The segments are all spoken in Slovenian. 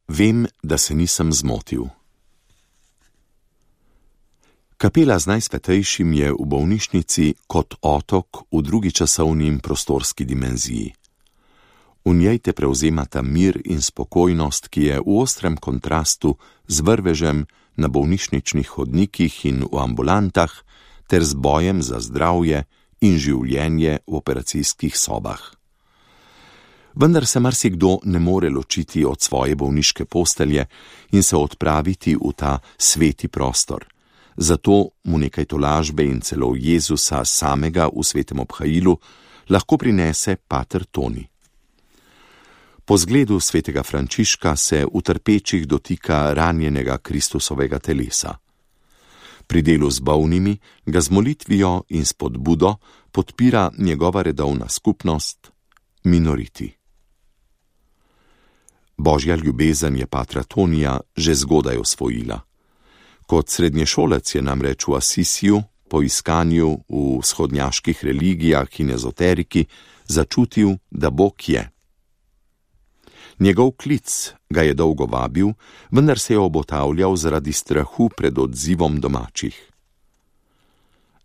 Vem, da se nisem zmotil. Kapela z Najsvetejšim je v bolnišnici kot otok v drugi časovni in prostorski dimenziji. V njej te prevzemata mir in spokojnost, ki je v ostrem kontrastu z vrvežem na bolnišničnih hodnikih in v ambulantah ter z bojem za zdravje in življenje v operacijskih sobah. Vendar se marsikdo ne more ločiti od svoje bolniške postelje in se odpraviti v ta sveti prostor. Zato mu nekaj tolažbe in celo Jezusa samega v svetem obhajilu lahko prinese pater Toni. Po zgledu svetega Frančiška se v trpečih dotika ranjenega Kristusovega telesa. Pri delu z bolnimi ga z molitvijo in spodbudo podpira njegova redovna skupnost, minoriti. Božja ljubezen je patra Tonija že zgodaj osvojila. Kot srednješolec je namreč v Asisiju, po iskanju v vzhodnjaških religijah in ezoteriki, začutil, da Bog je. Njegov klic ga je dolgo vabil, vendar se je obotavljal zaradi strahu pred odzivom domačih.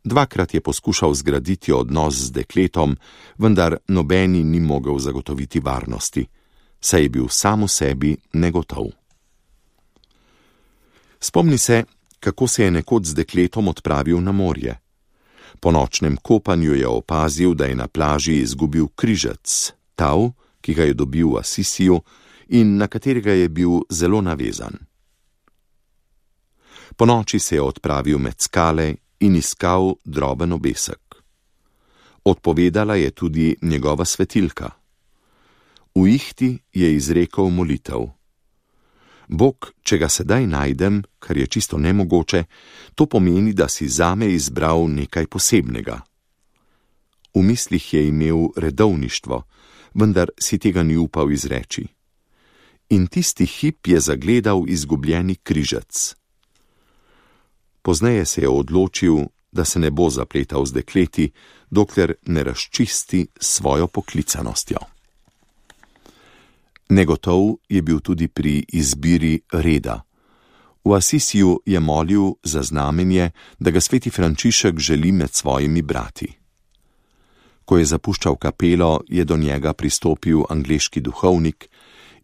Dvakrat je poskušal zgraditi odnos z dekletom, vendar nobeni ni mogel zagotoviti varnosti, saj je bil sam v sebi negotov. Spomni se, kako se je nekoč z dekletom odpravil na morje. Po nočnem kopanju je opazil, da je na plaži izgubil križec, tav, ki ga je dobil v Asisiju in na katerega je bil zelo navezan. Po noči se je odpravil med skale in iskal droben obesek. Odpovedala je tudi njegova svetilka. V ihti je izrekel molitev. Bog, če ga sedaj najdem, kar je čisto nemogoče, to pomeni, da si zame izbral nekaj posebnega. V mislih je imel redovništvo, vendar si tega ni upal izreči. In tisti hip je zagledal izgubljeni križec. Pozneje se je odločil, da se ne bo zapletal z dekleti, dokler ne razčisti svojo poklicanostjo. Negotov je bil tudi pri izbiri reda. V Asisiju je molil za znamenje, da ga sveti Frančišek želi med svojimi brati. Ko je zapuščal kapelo, je do njega pristopil angleški duhovnik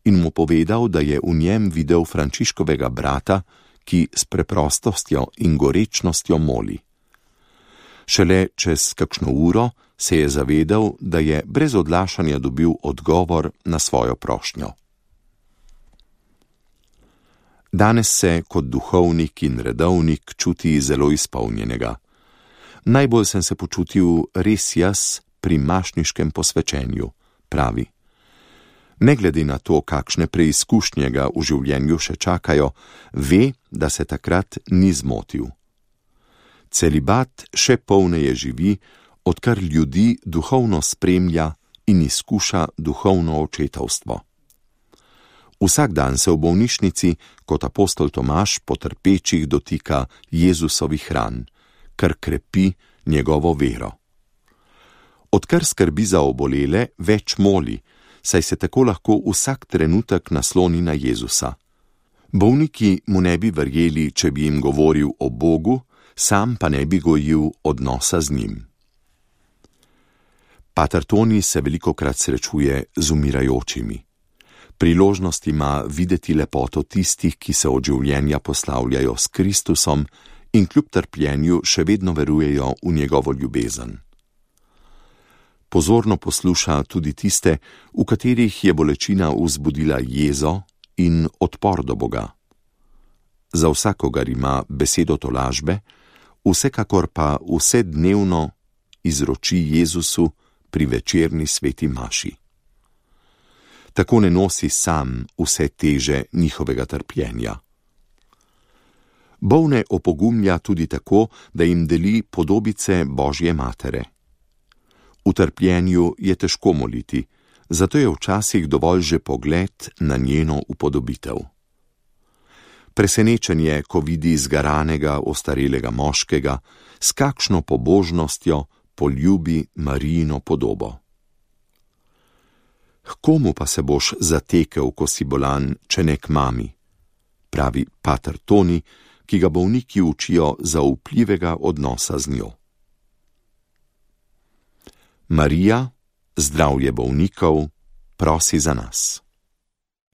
in mu povedal, da je v njem videl Frančiškovega brata, ki s preprostostjo in gorečnostjo moli. Šele čez kakšno uro se je zavedal, da je brez odlašanja dobil odgovor na svojo prošnjo. Danes se kot duhovnik in redovnik čuti zelo izpolnjenega. Najbolj sem se počutil res jaz pri mašniškem posvečenju, pravi. Ne glede na to, kakšne preizkušnje ga v življenju še čakajo, ve, da se takrat ni zmotil. Celibat še polneje živi, odkar ljudi duhovno spremlja in izkuša duhovno očetovstvo. Vsak dan se v bolnišnici, kot apostol Tomaž, po trpečih dotika Jezusovih ran, kar krepi njegovo vero. Odkar skrbi za obolele, več moli, saj se tako lahko vsak trenutek nasloni na Jezusa. Bolniki mu ne bi verjeli, če bi jim govoril o Bogu, sam pa ne bi gojil odnosa z njim. Pater Toni se velikokrat srečuje z umirajočimi. Priložnost ima videti lepoto tistih, ki se od življenja poslavljajo s Kristusom in kljub trpljenju še vedno verujejo v njegovo ljubezen. Pozorno posluša tudi tiste, v katerih je bolečina vzbudila jezo in odpor do Boga. Za vsakogar ima besedo tolažbe, vsekakor pa vsednevno izroči Jezusu pri večerni sveti maši. Tako ne nosi sam vse teže njihovega trpljenja. Bolne opogumlja tudi tako, da jim deli podobice Božje matere. V trpljenju je težko moliti, zato je včasih dovolj že pogled na njeno upodobitev. Presenečen je, ko vidi zgaranega, ostarelega moškega, s kakšno pobožnostjo poljubi Marijino podobo. K komu pa se boš zatekel, ko si bolan, če ne k mami? Pravi pater Toni, ki ga bolniki učijo zaupljivega odnosa z njo. Marija, zdravje bolnikov, prosi za nas.